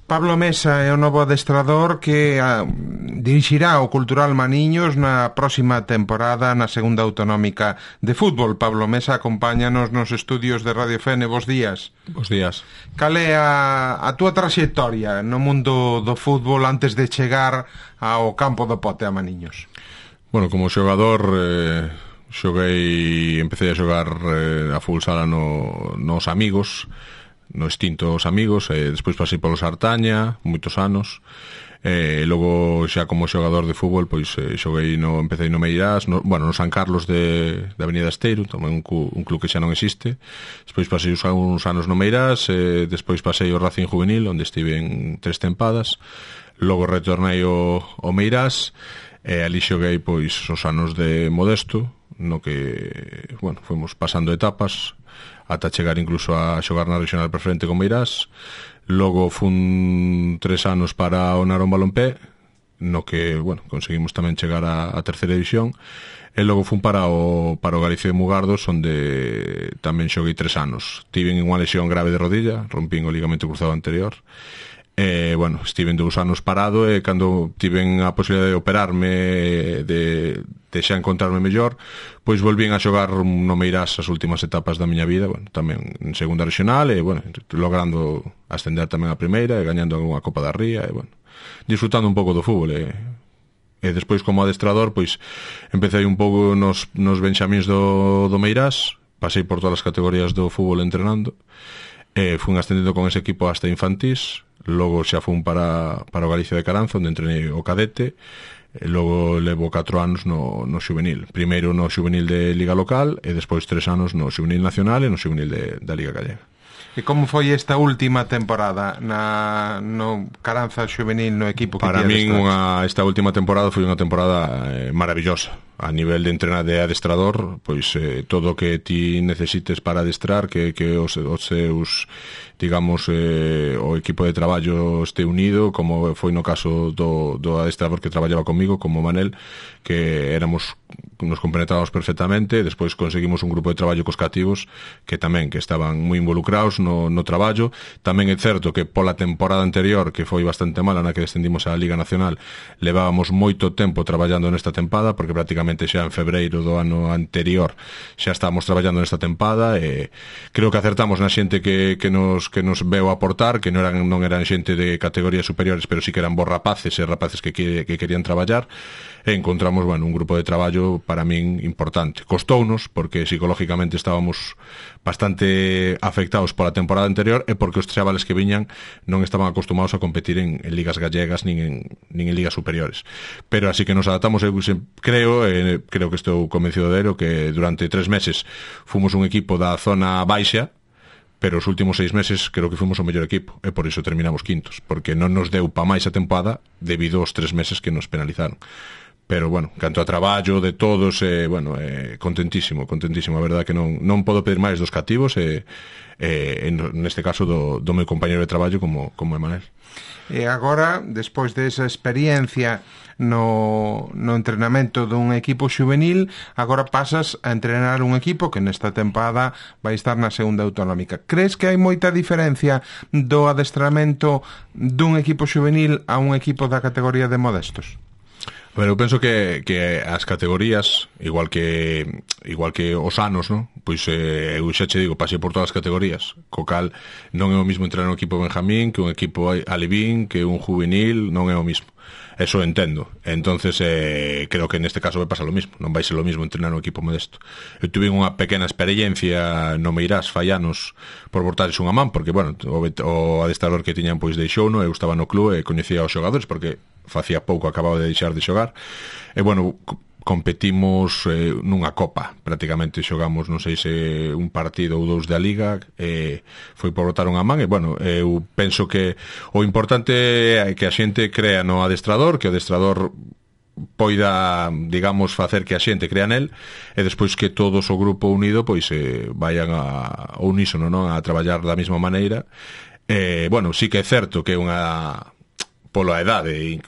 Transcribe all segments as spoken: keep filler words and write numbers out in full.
Pablo Mesa é o novo adestrador que a, dirixirá o Cultural Maniños na próxima temporada na segunda autonómica de fútbol. Pablo Mesa acompáñanos nos estudios de Radio Fene. Bos días. Bos días. Cal é a, a túa traxectoria no mundo do fútbol antes de chegar ao campo do Pote a Maniños? Bueno, como xogador eh, xoguei, empecé a xogar eh, a fútbol sala no, nos amigos, no extinto Os Amigos, e despois pasei polo Sartaña moitos anos, e logo xa como xogador de fútbol pois eh, xoguei no, empecé no Meirás, no, bueno, no San Carlos de, de Avenida Esteiro, tamén un, un club que xa non existe. Despois pasei uns anos no Meirás, e despois pasei o Racing Juvenil, onde estive en tres tempadas. Logo retornei ao, ao Meirás, e ali xoguei pois os anos de Modesto, no que, bueno, fomos pasando etapas ata chegar incluso a xogar na regional preferente con Meirás. Logo fun tres anos para o Narón Balompé, no que, bueno, conseguimos tamén chegar a, a terceira división, e logo fun para o, para o Galicia de Mugardos, onde tamén xoguei tres anos. Tiven unha lesión grave de rodilla, rompín o ligamento cruzado anterior, e, bueno, estiven dous anos parado, e cando tiven a posibilidade de operarme, de, de xa encontrarme mellor, pois volvín a xogar no Meirás as últimas etapas da miña vida, bueno, tamén en segunda regional, e, bueno, logrando ascender tamén a primeira, e gañando algunha Copa da Ría, e, bueno, disfrutando un pouco do fútbol, e, e despois como adestrador, pois empecé un pouco nos, nos benxamíns do, do Meirás, pasei por todas as categorías do fútbol entrenando, e fun ascendendo con ese equipo hasta infantís. Logo xa fun para, para o Galicia de Caranza, onde entrenei o cadete, e logo levo catro anos no, no xuvenil. Primeiro no xuvenil de Liga Local, e despois tres anos no xuvenil nacional e no xuvenil de, da Liga Gallega. E como foi esta última temporada na, no Caranza xuvenil, no equipo que para min unha, esta última temporada foi unha temporada eh, maravillosa. A nivel de entrenar de adestrador, pois eh, todo o que ti necesites para adestrar, que, que os, os seus, digamos, eh, o equipo de traballo este unido, como foi no caso do, do adestrador que traballaba comigo, como Manel, que éramos, nos compenetrábamos perfectamente. Despois conseguimos un grupo de traballo cos cativos que tamén que estaban moi involucrados no, no traballo. Tamén é certo que pola temporada anterior, que foi bastante mala, na que descendimos á Liga Nacional, levábamos moito tempo traballando nesta tempada, porque prácticamente xa en febreiro do ano anterior xa estábamos traballando nesta tempada, e creo que acertamos na xente que, que, nos, que nos veu aportar, que non eran, non eran xente de categorías superiores, pero sí que eran bons rapaces e rapaces que, que, que querían traballar, e encontramos, bueno, un grupo de traballo para min importante. Costounos, porque psicológicamente estábamos bastante afectados pola temporada anterior, e porque os chavales que viñan non estaban acostumados a competir en, en ligas gallegas nin en, nin en ligas superiores. Pero así que nos adaptamos, eu creo, e creo que estou convencido de ello, que durante tres meses fomos un equipo da zona baixa, pero os últimos seis meses creo que fomos o mellor equipo, e por iso terminamos quintos, porque non nos deu pa máis a tempada debido aos tres meses que nos penalizaron. Pero, bueno, canto a traballo de todos, eh, bueno, eh, contentísimo, contentísimo, a verdad que non, non podo pedir máis dos cativos, e, eh, neste caso do, do meu compañero de traballo como, como Emanuel. E agora, despois desa experiencia no, no entrenamento dun equipo xuvenil, agora pasas a entrenar un equipo que nesta tempada vai estar na segunda autonómica. Crees que hai moita diferencia do adestramento dun equipo xuvenil a un equipo da categoría de Modestos? Pero eu penso que, que as categorías, igual que igual que os anos, ¿no? Pois eh, eu xa che digo, pasei por todas as categorías, co cal non é o mismo entrenar un equipo benjamín que un equipo alevín, que un juvenil, non é o mismo. Eso entendo. Entonces eh, creo que neste caso vai pasar lo mismo. Non vai ser lo mismo entrenar un equipo modesto. Eu tuve unha pequena experiencia no Meirás fai anos por botarles unha man, porque, bueno, o, o adestrador que tiñan pois deixou, no? Eu estaba no club e coñecía aos xogadores, porque facía pouco acababa de deixar de xogar. E, bueno, competimos eh, nunha copa, prácticamente xogamos, non sei se un partido ou dous da Liga, e foi por botar unha man, e, bueno, eu penso que o importante é que a xente crea no adestrador, que o adestrador poida, digamos, facer que a xente crea nel, e despois que todos o grupo unido pois eh, vayan a, a unísono, non? A traballar da mesma maneira. E, bueno, sí que é certo que é unha, pola edade,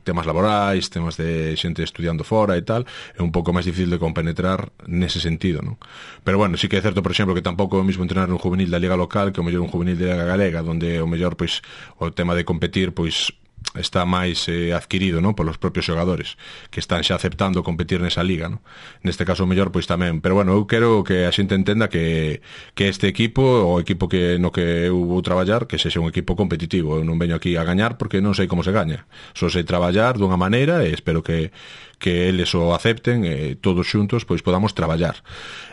temas laborais, temas de xente estudiando fora e tal, é un pouco máis difícil de compenetrar nese sentido, non? Pero bueno, sí que é certo, por exemplo, que tampouco é o mismo entrenar un juvenil da Liga local que o mellor un juvenil da Liga galega, donde o mellor, pois, o tema de competir, pois, está máis eh, adquirido, non, polos propios xogadores que están xa aceptando competir nesa liga, non? Neste caso o mellor pois tamén, pero bueno, eu quero que a xente entenda que, que este equipo, o equipo que no que eu vou traballar, que sexa un equipo competitivo. Eu non veño aquí a gañar porque non sei como se gaña, só sei traballar dunha maneira e espero que que eles o acepten e todos xuntos pois podamos traballar.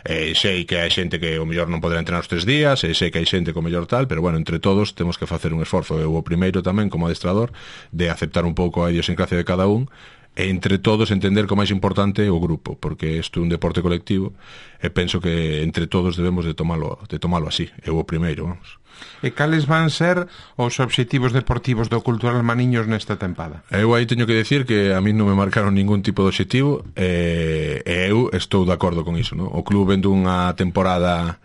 Eh, sei que hai xente que o mellor non poderá entrenar os tres días, e sei que hai xente que o mellor tal, pero bueno, entre todos temos que facer un esforzo. Eu o primeiro tamén como adestrador de aceptar un pouco a idiosincrasia de cada un e entre todos entender que o máis importante é o grupo, porque isto é un deporte colectivo e penso que entre todos debemos de tomalo, de tomalo así. Eu o primeiro, vamos. E cales van ser os obxectivos deportivos do Cultural Maniños nesta tempada? Eu aí teño que decir que a mí non me marcaron ningún tipo de obxectivo e, e eu estou de acordo con iso, non? O club vendo unha temporada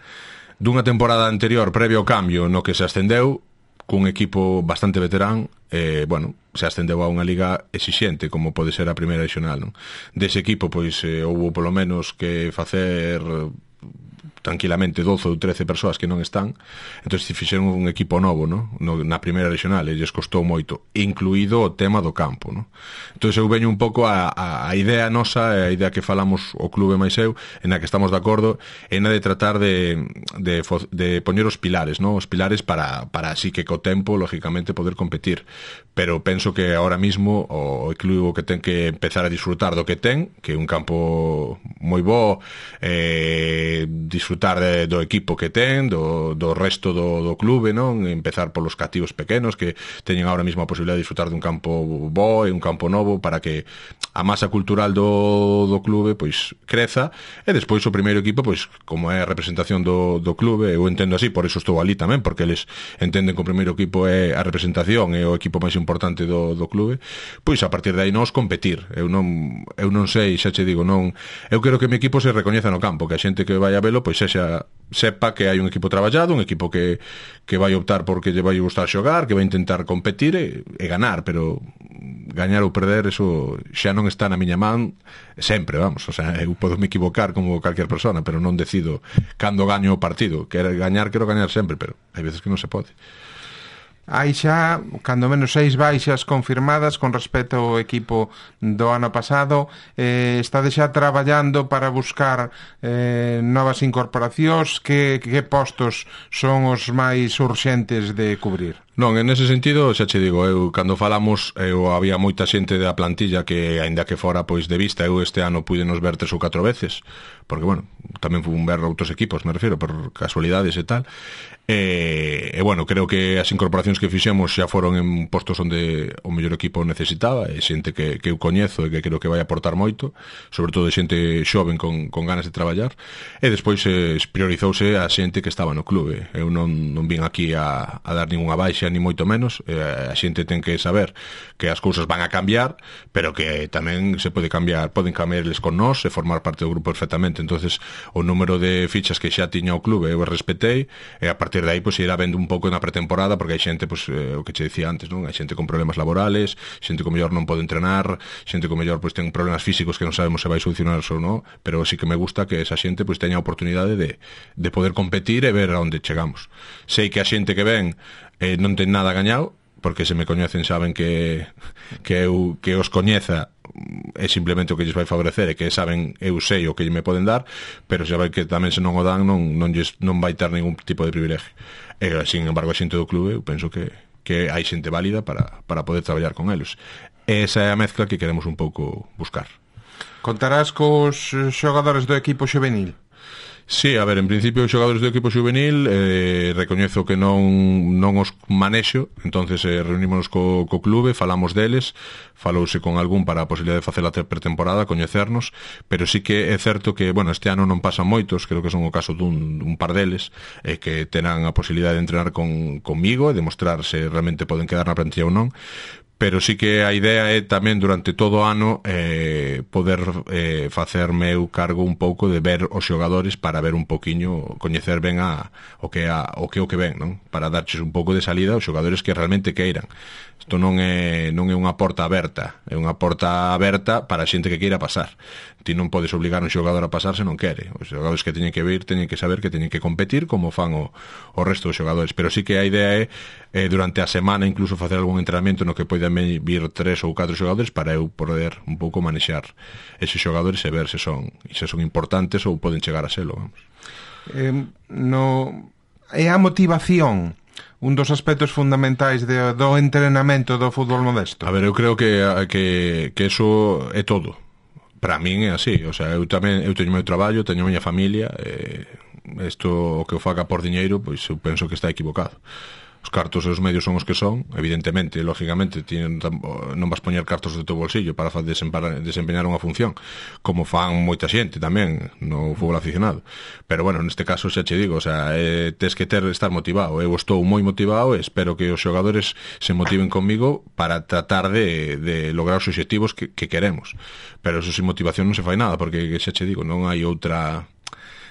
dunha temporada anterior previo ao cambio no que se ascendeu cun equipo bastante veterán, eh, bueno, se ascendeu a unha liga exixente como pode ser a primeira regional, non? Dese equipo pois eh, houve polo menos que facer tranquilamente doce ou trece persoas que non están, entón se fixeron un equipo novo, no? No, na primeira regional, e lles costou moito, incluído o tema do campo, no? Entón eu veño un pouco a, a, a idea nosa, a idea que falamos o clube máis eu, en a que estamos de acordo, en a de tratar de, de, de poñer os pilares, no? Os pilares para, para así que co tempo, lógicamente, poder competir, pero penso que ahora mismo o clube que ten que empezar a disfrutar do que ten, que é un campo moi bo, eh, disfrutar de, do equipo que ten, do, do resto do, do clube, non? Empezar polos cativos pequenos que teñen ahora mesmo a posibilidade de disfrutar dun campo bo e un campo novo para que a masa cultural do, do clube pois creza, e despois o primeiro equipo pois como é a representación do, do clube, eu entendo así, por iso estou ali tamén, porque eles entenden que o primeiro equipo é a representación, é o equipo máis importante do, do clube, pois a partir de aí nos competir. Eu non, eu non sei, xa che digo, non, eu quero que o meu equipo se recoñeza no campo, que a xente que vai a velo pois sexa, sepa que hai un equipo traballado, un equipo que, que vai optar porque lle vai gustar xogar, que vai intentar competir e, e ganar, pero gañar ou perder, eso xa non está na miña man sempre, vamos, o sea, eu podo me equivocar como calquer persona, pero non decido cando gaño o partido. Quero gañar, quero gañar sempre, pero hai veces que non se pode. Hai xa, cando menos, seis baixas confirmadas con respecto ao equipo do ano pasado. Eh, estade xa traballando para buscar eh, novas incorporacións. Que, que postos son os máis urxentes de cubrir? Non, en ese sentido, xa che digo, eu cando falamos, eu había moita xente da plantilla que, aínda que fora pois de vista, eu este ano puidenos ver tres ou catro veces, porque, bueno, tamén fui un ver outros equipos, me refiro, por casualidades e tal, e, e bueno, creo que as incorporacións que fixemos xa foron en postos onde o mellor equipo necesitaba, e xente que, que eu coñezo e que creo que vai aportar moito, sobre todo xente xoven con, con ganas de traballar, e despois eh, priorizouse a xente que estaba no clube. Eu non, non vin aquí a, a dar ninguna baixa, ni moito menos. Eh, a xente ten que saber que as cousas van a cambiar, pero que tamén se pode cambiar, poden cambiarles con nós e formar parte do grupo perfectamente. Entonces o número de fichas que xa tiña o clube eu respetei, e a partir de aí pois irá vendo un pouco na pretemporada, porque hai xente, pois, eh, o que che dicía antes, non? Hai xente con problemas laborales, xente que o mellor non pode entrenar, xente que o mellor pois ten problemas físicos que non sabemos se vai solucionar ou non, pero sí que me gusta que esa xente pois teña a oportunidade de, de poder competir e ver a onde chegamos. Sei que a xente que ven eh, non ten nada gañado, porque se me coñecen saben que que eu que os coñeza é simplemente o que lles vai favorecer, e que saben, eu sei o que me poden dar, pero xa vai que tamén se non o dan non, non, lles, non vai ter ningún tipo de privilegio. E, sin embargo, a xente do clube eu penso que, que hai xente válida para, para poder traballar con eles. Esa é a mezcla que queremos un pouco buscar. Contarás cos xogadores do equipo xuvenil? Sí, a ver, en principio os xogadores do equipo xuvenil eh, recoñezo que non non os manexo, entonces eh, reunímonos co, co clube, falamos deles, falouse con algún para a posibilidade de facer a pretemporada, coñecernos, pero sí que é certo que, bueno, este ano non pasan moitos, creo que son o caso dun un par deles, eh, que terán a posibilidade de entrenar con, conmigo e demostrar se realmente poden quedar na plantilla ou non, pero sí que a idea é tamén durante todo o ano eh, poder eh, facerme eu cargo un pouco de ver os xogadores para ver un poquiño, coñecer ben a, o que a, o que o que ven, non? Para darches un pouco de salida aos xogadores que realmente queiran. Isto non é, non é unha porta aberta, é unha porta aberta para a xente que queira pasar. Ti non podes obligar un xogador a pasar se non quere. Os xogadores que teñen que vir teñen que saber que teñen que competir como fan o, o resto dos xogadores, pero sí que a idea é eh, durante a semana incluso facer algún entrenamento no que poidan vir tres ou catro xogadores para eu poder un pouco manexar eses xogadores e ver se son, se son importantes ou poden chegar a selo, vamos. Eh, no, é a motivación un dos aspectos fundamentais de, do entrenamento do fútbol modesto? A ver, eu creo que, que, que eso é todo. Para min é así, o sea, eu tamén eu teño o meu traballo, teño a miña familia, e isto o que eu faga por diñeiro, pois eu penso que está equivocado. Os cartos e os medios son os que son, evidentemente, lógicamente tienen, non vas poñer cartos do teu bolsillo para desempeñar unha función, como fan moita xente tamén no fútbol aficionado, pero bueno, neste caso xa che digo, o sea, eh, tes que ter estar motivado. Eu estou moi motivado e espero que os xogadores se motiven comigo para tratar de, de lograr os obxectivos que, que queremos, pero eso sin motivación non se fai nada, porque xa che digo, non hai outra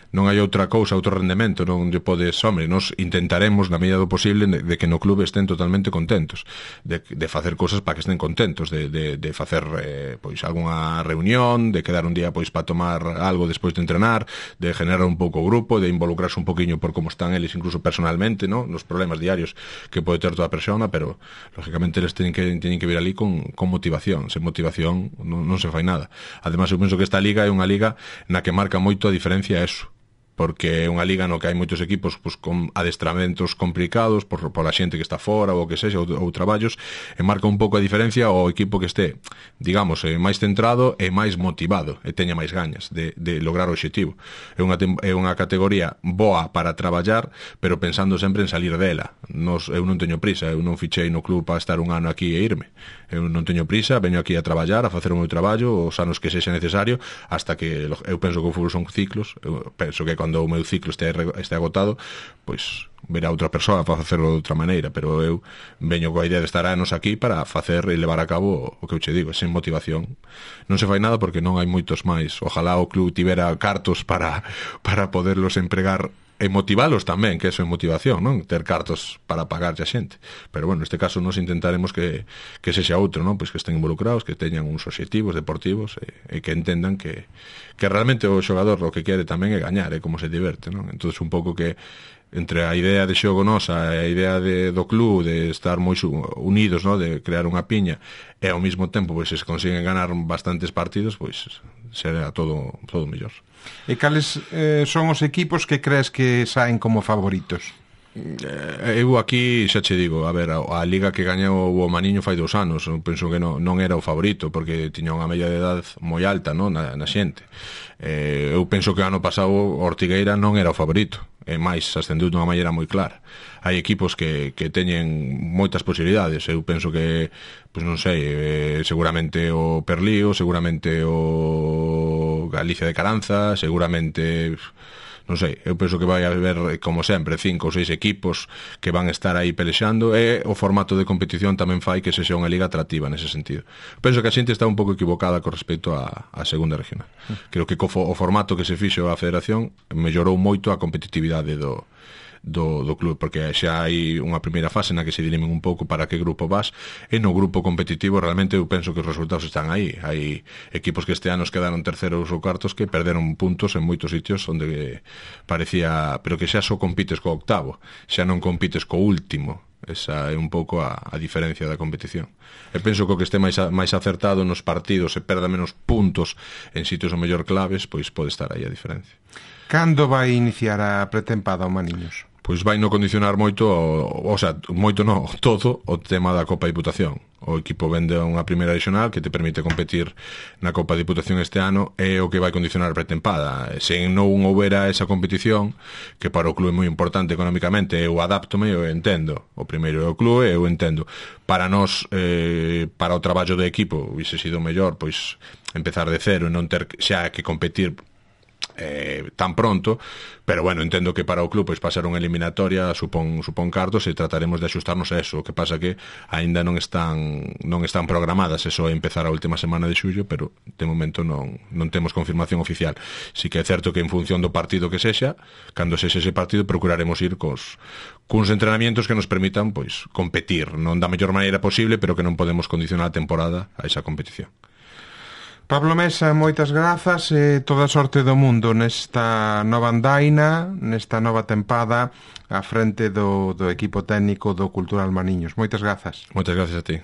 non hai outra cousa, outro rendemento, non lle podes, hombre, nos intentaremos na medida do posible de, de que no clube estén totalmente contentos, de, de facer cousas para que estén contentos, de, de, de facer eh, pois algunha reunión, de quedar un día pois para tomar algo despois de entrenar, de generar un pouco o grupo, de involucrarse un poquinho por como están eles incluso personalmente, ¿no? Nos problemas diarios que pode ter toda a persona, pero lógicamente eles teñen que, teñen que vir ali con, con motivación. Sen motivación non, non se fai nada. Ademais, eu penso que esta liga é unha liga na que marca moito a diferencia eso, porque é unha liga no que hai moitos equipos pues, con adestramentos complicados por, por a xente que está fora ou que sexa, ou, ou traballos, e marca un pouco a diferencia o equipo que este, digamos, eh, máis centrado e máis motivado e teña máis gañas de, de lograr o obxectivo. É unha, é unha categoría boa para traballar, pero pensando sempre en salir dela. Nos, eu non teño prisa, eu non fichei no club para estar un ano aquí e irme. Eu non teño prisa, veño aquí a traballar, a facer o meu traballo os anos que sexa necesario, hasta que eu penso que o fútbol son ciclos. Eu penso que cando o meu ciclo este, este agotado, pois verá outra persoa para facerlo de outra maneira, pero eu veño coa idea de estar anos aquí para facer e levar a cabo o que eu che digo, sen motivación non se fai nada, porque non hai moitos máis. Ojalá o club tivera cartos para, para poderlos empregar e motivalos tamén, que eso é motivación, non? Ter cartos para pagarlle a xente. Pero bueno, neste caso nos intentaremos que, que sexa outro, non? Pois que estén involucrados, que teñan uns obxectivos deportivos e, e que entendan que, que realmente o xogador o que quere tamén é gañar, é como se diverte, non? Entonces un pouco que entre a idea de xogo nosa e a idea de, do club de estar moi unidos, no? De crear unha piña, e ao mesmo tempo pois, se consiguen ganar bastantes partidos, pois será todo, todo mellor. E cales eh, son os equipos que crees que saen como favoritos? Eu aquí xa che digo, a ver, a, a liga que gañou o Maniño fai dous anos, eu penso que non, non era o favorito, porque tiña unha media de edad moi alta, non, na, na xente. Eh, eu penso que o ano pasado o Ortigueira non era o favorito, e máis ascendeu dunha maneira moi clara. Hai equipos que, que teñen moitas posibilidades. Eu penso que, pois non sei, eh, seguramente o Perlío, seguramente o Galicia de Caranza, seguramente, non sei, eu penso que vai haber, como sempre, cinco ou seis equipos que van estar aí pelexando, e o formato de competición tamén fai que se xa unha liga atractiva nese sentido. Penso que a xente está un pouco equivocada con respecto a, a segunda regional. Creo que co, o formato que se fixo a federación mellorou moito a competitividade do Do, do club, porque xa hai unha primeira fase na que se dirimen un pouco para que grupo vas, e no grupo competitivo realmente eu penso que os resultados están aí. Hai equipos que este ano quedaron terceros ou cuartos que perderon puntos en moitos sitios onde parecía, pero que xa só compites co octavo, xa non compites co último. Esa é un pouco a, a diferencia da competición. E penso que o que este máis, a, máis acertado nos partidos e perda menos puntos en sitios o mellor claves, pois pode estar aí a diferencia. Cando vai iniciar a pretempada o Maniños? Pois vai no condicionar moito, o, o sea, moito no, todo o tema da Copa Diputación. O equipo vende unha primeira regional que te permite competir na Copa Diputación este ano, e o que vai condicionar a pretempada. Se non houbera esa competición, que para o club é moi importante económicamente, eu adaptome, eu entendo. O primeiro é o club, eu entendo. Para nós, eh, para o traballo do equipo, hubiese sido mellor, pois, empezar de cero e non ter xa que competir eh, tan pronto, pero bueno, entendo que para o club pois pasar unha eliminatoria supón, supón cartos e trataremos de axustarnos a eso. O que pasa que aínda non están non están programadas, eso é empezar a última semana de xullo, pero de momento non, non temos confirmación oficial. Si que é certo que en función do partido que sexa, cando sexa ese partido procuraremos ir cos cuns entrenamientos que nos permitan pois competir, non da mellor maneira posible, pero que non podemos condicionar a temporada a esa competición. Pablo Mesa, moitas grazas e toda a sorte do mundo nesta nova andaina, nesta nova tempada á frente do, do equipo técnico do Cultural Mariños. Moitas grazas. Moitas grazas a ti.